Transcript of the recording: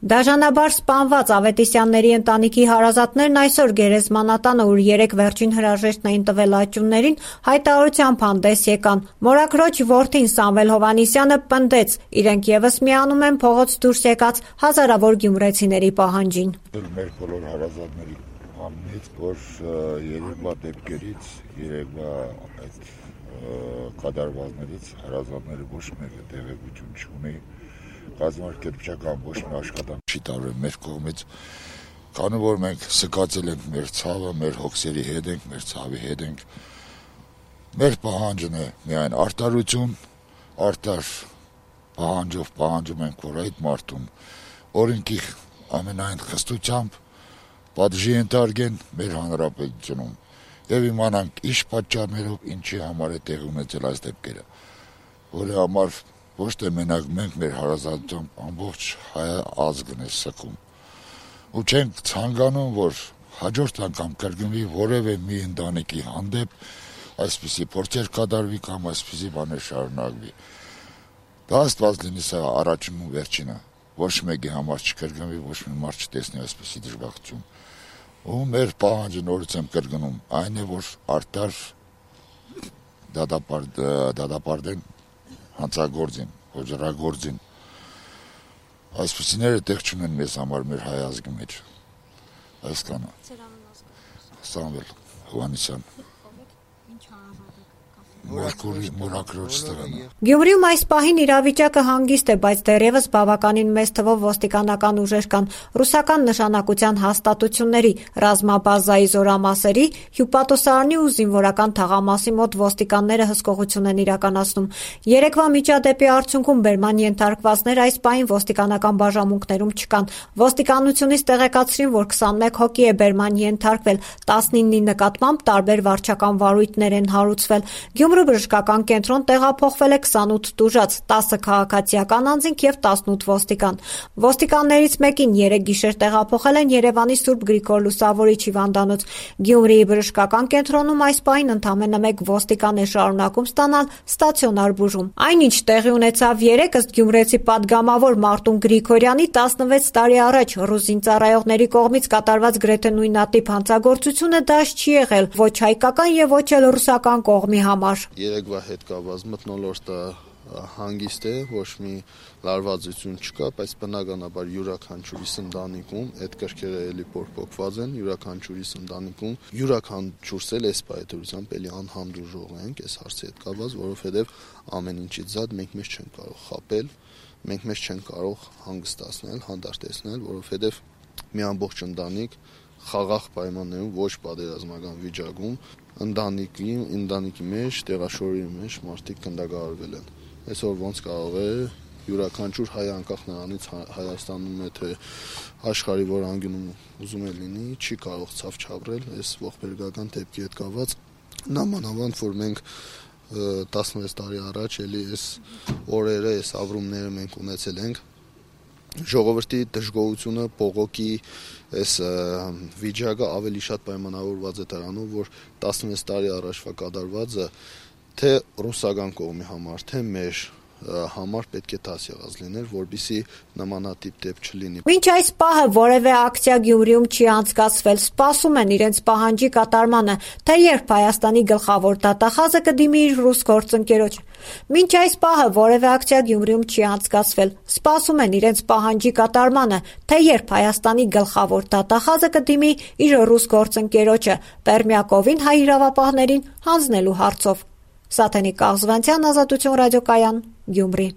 Դաժանաբար սպանված Ավետիսյանների ընտանիքի հարազատներն այսօր գերեզմանատանը, ուր 3 վերջին հրաժեշտն էին տվել աճումներին, հայտարարությամբ հանդես եկան։ Մորաքրոջ որդին Սամվել Հովհաննիսյանը պնդեց՝ իրենք ևս միանում են փողոց դուրս եկած հազարավոր գյումրեցիների պահանջին։ Մեր բոլոր հարազատների համից, որ երեկվա դեպքերից, երեկվա այդ կատարվածներից հարազատները ոչ մեկը տեղեկություն չունի, կազմակերպչական ոչ մի աշխատանք չի տարվել մեր կողմից, քանի որ մենք սկացել ենք մեր ցավը, մեր հոգսերի հետ ենք, մեր ցավի հետ ենք։ Մեր պահանջն է միայն արտարություն, արտար պահանջով պահանջում ենք, որ այդ մարդուն օրենքի ամենայն խստությամբ պատժի ենթարկեն մեր հանրապետությունում եւ իմանանք ինչ պատճառներով ինչի համար է տեղի ունեցել այս դեպքերը, որի համար ոչ թե մենակ մենք մեր հարազատությամբ ամբողջ հայ ազգն է սգում ու չենք ցանկանում, որ հաջորդ անգամ կրկնվի որևէ մի ընտանիքի հանդեպ այսպիսի փորձեր կատարվի կամ այսպիսի բաներ շարունակվի։ Դա Աստված լինի, սա առաջին ու վերջինը, ոչ մեկի համար չկրկնվի, ոչ մի մարդ չտեսնի այսպիսի դժբախտություն։ Ու մեր պահանջը նորից եմ կրկնում, այն է, որ արտար դատապարտեն հանցագործին, ոճրագործին, այսպիսիները տեղ չունեն մեզ համար մեր հայ ազգի մեջ, այսքանը։ Սամվել Հովհաննիսյան, Մորաքրոջ ստեղանը։ Գյումրիում այս պահին իրավիճակը հանգիստ է, բայց դեռևս բավականին մեծ թվով ոստիկանական ուժեր կան, ռուսական նշանակության հաստատությունների, ռազմաբազայի զորամասերի, հյուպատոսարանի ու զինվորական թաղամասի մոտ ոստիկանները հսկողություն են իրականացնում։ Երեկվա միջադեպի արդյունքում բերման ենթարկվածներ այս պահին ոստիկանական բաժանմունքներում չկան։ Ոստիկանությունից տեղեկացրին, որ 21 հոգի է բերման ենթարկվել, 19-ի նկատմամբ տարբեր վարչական վարույթներ են հարուցվել։ Գյումրու բժշկական կենտրոն տեղափոխվել է 28 տուժած, 10 քաղաքացիական անձինք եւ 18 ոստիկան։ Ոստիկաններից մեկին 3 գիշեր տեղափոխել են Երևանի Սուրբ Գրիգոր Լուսավորիչ հիվանդանոց։ Գյումրիի բժշկական կենտրոնում այս պահին ընդամենը 1 ոստիկան է շարունակում ստանալ ստացիոնար բուժում։ Այնինչ տեղի ունեցավ 3 ըստ գյումրեցի պատգամավոր Մարտուն Գրիգորյանի 16 տարի առաջ ռուս զինծառայողների կողմից կատարված գրեթե նույնատիպ հանցագործությունը դաշ չի եղել ոչ հայկական եւ ոչ էլ ռուսական կողմի համար։ Երեկվա հետ կապված մթնոլորտը հանգիստ է, ոչ մի լարվածություն չկա, բայց բնականաբար յուրաքանչյուրիս ընտանիքում այդ կրքերը էլի փոփոխված են, յուրաքանչյուրիս ընտանիքում յուրաքանչյուրս էլ այս պայթորությամբ էլի անհանդուրժող ենք այս հարցի հետ կապված, որովհետև ամեն ինչից զատ մենք մեզ չենք կարող խաբել, մենք մեզ չենք կարող հանգստացնել, հանդարտեցնել, որովհետև մի ամբողջ ընտանիք խաղաղ պայմաններում ոչ պատերազմական վիճակում ընտանիքի մեջ, տեղաշորի մեջ մարդիկ գնդակահարվել են։ Այսօր ոնց կարող է յուրաքանչյուր հայ անկախ նրանից Հայաստանում է թե աշխարհի որ անկյունում ուզում է լինի, չի կարող ցավ չապրել այս ողբերգական դեպքի հետ կապված։ Նամանավանդ որ մենք 16 տարի առաջ էլի այս օրերը, այս ապրումները մենք ունեցել ենք, ժողովրդի դժգոհությունը, բողոքի այս վիճակը ավելի շատ պայմանավորված է դրանով, որ 16 տարի առաջվա կատարվածը թե ռուսական կողմի համար, թե մեր համար պետք է դասեղած լիներ, որպեսզի նմանատիպ դեպք չլինի։ Մինչ այս պահը որևէ ակցիա Գյումրիում չի անցկացվել, սպասում են իրենց պահանջի կատարմանը, թե երբ Հայաստանի գլխավոր դատախազը կդիմի իր ռուս գործընկերոջ։ Մինչ այս պահը որևէ ակցիա Գյումրիում չի անցկացվել, սպասում են իրենց պահանջի կատարմանը, թե երբ Հայաստանի գլխավոր դատախազը կդիմի իր ռուս գործընկերոջը Պերմյակովին հայ իրավապահներին հանձնելու հարցով։ Սաթենիկ Կաղզվանցյան, Ազատություն ռադիոկայան, Գյումրի։